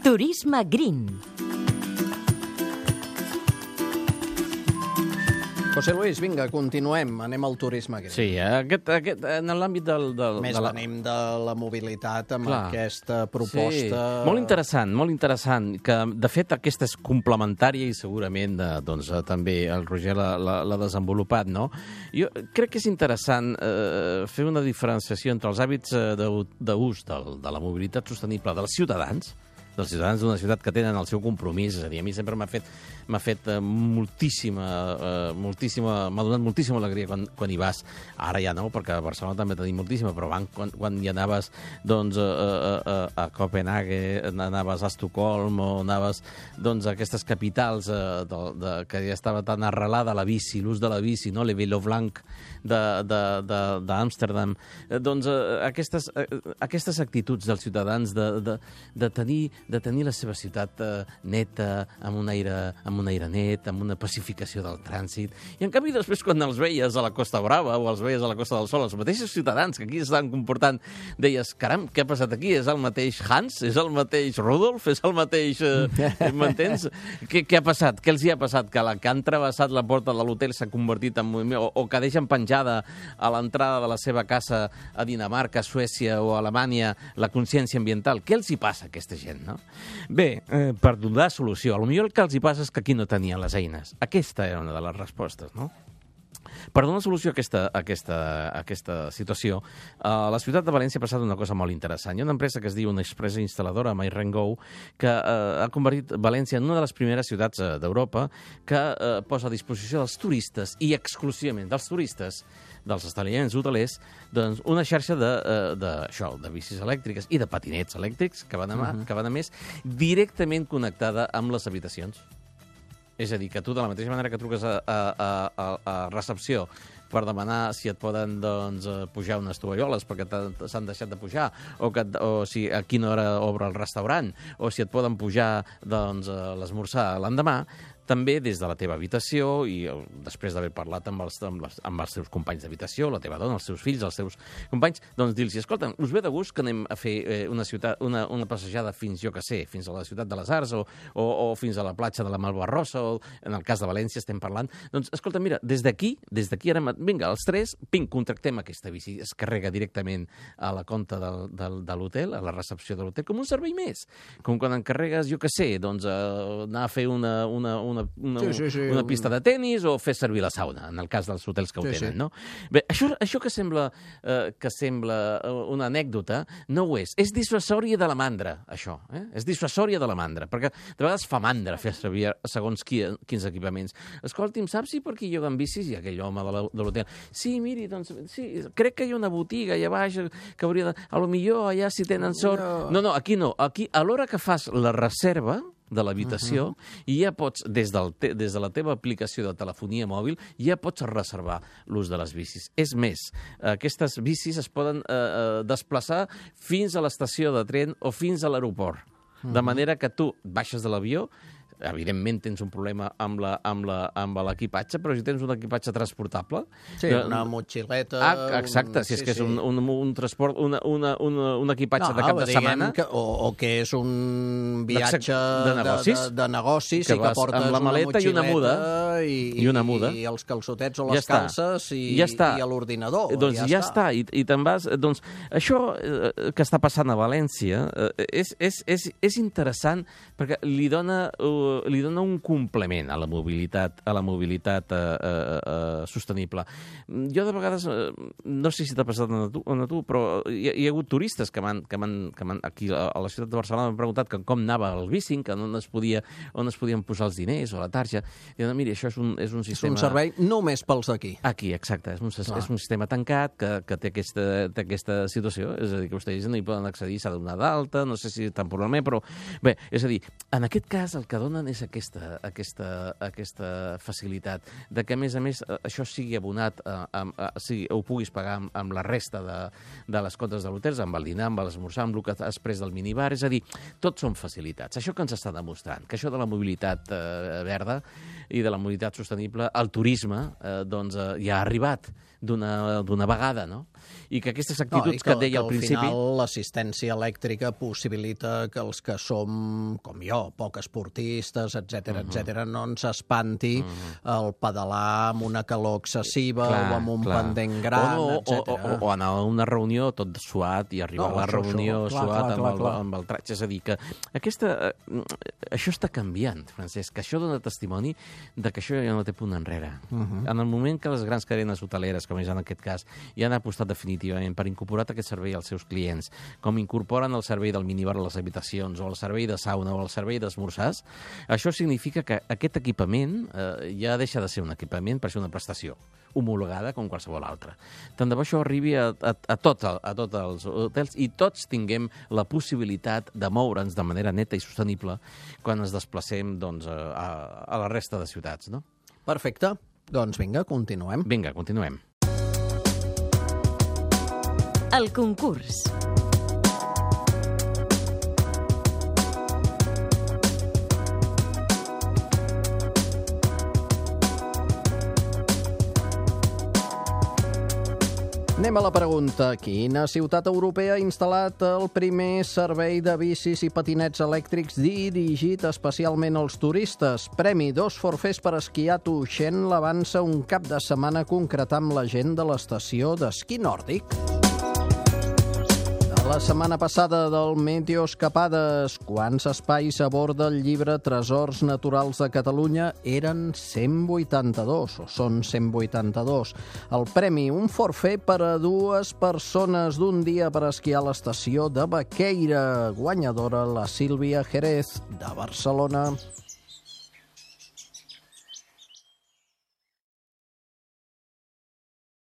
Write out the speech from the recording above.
Turisme Green. José Luis, vinga, continuem. Anem al turisme green. Sí, en l'àmbit Més venim de la mobilitat amb aquesta proposta... Sí, molt interessant, que de fet aquesta és complementària i segurament doncs, també el Roger l'ha desenvolupat, no? Jo crec que és interessant fer una diferenciació entre els hàbits d'ús de la mobilitat sostenible dels ciutadans d'una ciutat que tenen el seu compromís. És a dir, a mi sempre m'ha fet m'ha donat moltíssima alegria quan hi vas. Ara ja no, perquè a Barcelona també tenim moltíssima, però quan hi anaves doncs, a Copenhague, anaves a Estocolm o anaves doncs, a aquestes capitals que ja estava tan arrelada la bici, l'ús de la bici, no? Le Vélo Blanc d'Amsterdam. Doncs aquestes actituds dels ciutadans de tenir la seva ciutat neta, amb un aire net, amb una pacificació del trànsit. I en canvi després quan els veies a la Costa Brava o els veies a la Costa del Sol, els mateixos ciutadans que aquí estan comportant, deies, caram, què ha passat aquí? És el mateix Hans? És el mateix Rudolf? És el mateix... M'entens? Què ha passat? Què els hi ha passat? Que han travessat la porta de l'hotel s'ha convertit en moviment, o que deixen penjada a l'entrada de la seva casa a Dinamarca, Suècia o Alemanya la consciència ambiental. Què els hi passa a aquesta gent, no? Bé, per donar solució, potser el que els hi passa és que aquí no tenien les eines. Aquesta era una de les respostes, no? Per donar solució a aquesta situació, la ciutat de València ha passat una cosa molt interessant. Hi ha una empresa que es diu una empresa instal·ladora, MyRenGo, que ha convertit València en una de les primeres ciutats d'Europa que posa a disposició dels turistes, i exclusivament dels turistes, dels establiments hotelers, doncs una xarxa de bicis elèctriques i de patinets elèctrics que van a més, directament connectada amb les habitacions. És a dir, que tu, de la mateixa manera que truques a recepció per demanar si et poden pujar unes tovalloles perquè s'han deixat de pujar, o si a quina hora obre el restaurant, o si et poden pujar l'esmorzar l'endemà, també des de la teva habitació i després d'haver parlat amb els teus companys d'habitació, la teva dona, els teus fills, els teus companys, doncs dir-los, escolta, us ve de gust que anem a fer una passejada fins a la ciutat de les Arts o fins a la platja de la Malvarrosa, o en el cas de València estem parlant. Doncs, escolta, mira, des d'aquí ara, vinga, els tres, contractem aquesta bici, es carrega directament a la compta de l'hotel, a la recepció de l'hotel, com un servei més. Com quan encarregues, anar a fer una pista de tennis o fer servir la sauna, en el cas dels hotels que ho tenen, no? Bé, això que sembla una anècdota, no ho és. És dissuasòria de la mandra, això. És dissuasòria de la mandra, perquè de vegades fa mandra fer servir segons quins equipaments. Escolti'm, saps si per aquí lloguen bicis? I aquell home de l'hotel, sí, miri, doncs, sí, crec que hi ha una botiga allà baix que hauria de... A lo millor allà si tenen sort... No, aquí no. Aquí, a l'hora que fas la reserva de l'habitació, i ja pots, des de la teva aplicació de telefonia mòbil, ja pots reservar l'ús de les bicis. És més, aquestes bicis es poden desplaçar fins a l'estació de tren o fins a l'aeroport. De manera que tu baixes de l'avió, evidentment tens un problema amb l'equipatge, però si tens un equipatge transportable... Sí, una motxileta... Exacte, si és que és un transport, un equipatge de cap de setmana... O que és un viatge de negocis que portes amb la maleta i una muda. I els calçotets o les calces i l'ordinador. Doncs ja està, i te'n vas... Doncs això que està passant a València és interessant perquè li dona un complement a la mobilitat sostenible. Jo de vegades, no sé si t'ha passat a tu, però hi ha hagut turistes que aquí a la ciutat de Barcelona m'han preguntat com anava el bicing, que on es podien posar els diners o la tarja. I diuen, mira, això és un sistema... És un servei només pels d'aquí. Aquí, exacte. És un sistema tancat que té aquesta situació. És a dir, que vostès no hi poden accedir, s'ha de donar d'alta, no sé si temporalment, però... Bé, és a dir, en aquest cas el que donen és aquesta facilitat de que, a més, això sigui abonat, ho puguis pagar amb la resta de les cotes de l'hotel, amb el dinar, amb l'esmorzar, amb el que has pres del minibar. És a dir, tot són facilitats. Això que ens està demostrant, que això de la mobilitat verda i de la mobilitat sostenible, el turisme, ja ha arribat. d'una vegada, no? I que aquestes actituds que et deia al principi... Al final l'assistència elèctrica possibilita que els que som, com jo, poc esportistes, etc, no ens espanti el pedalar amb una calor excessiva o amb un pendent gran, etc. O anar a una reunió tot suat i arribar a la reunió suat amb el traig. És a dir, que això està canviant, Francesc, que això dona testimoni de que això ja no té punt enrere. En el moment que les grans cadenes hoteleres, com és en aquest cas, ja han apostat definitivament per incorporar aquest servei als seus clients, com incorporen el servei del minibar a les habitacions, o el servei de sauna, o el servei d'esmorzars, això significa que aquest equipament ja deixa de ser un equipament per ser una prestació homologada com qualsevol altra. Tant de bo això arribi a tots els hotels i tots tinguem la possibilitat de moure'ns de manera neta i sostenible quan ens desplacem a la resta de ciutats, no? Perfecte. Doncs vinga, continuem. Vinga, continuem. El concurs. Anem a la pregunta. Quina ciutat europea ha instal·lat el primer servei de bicis i patinets elèctrics dirigit especialment als turistes? Premi 2 forfers per esquiar a Tuixén l'avança un cap de setmana concretar amb la gent de l'estació d'esquí nòrdic. La setmana passada del Meteoescapades, quants espais aborda el llibre Tresors Naturals de Catalunya? Eren 182, o són 182. El premi, un forfer per a 2 persones d'un dia per esquiar a l'estació de Baqueira. Guanyadora la Sílvia Jerez, de Barcelona.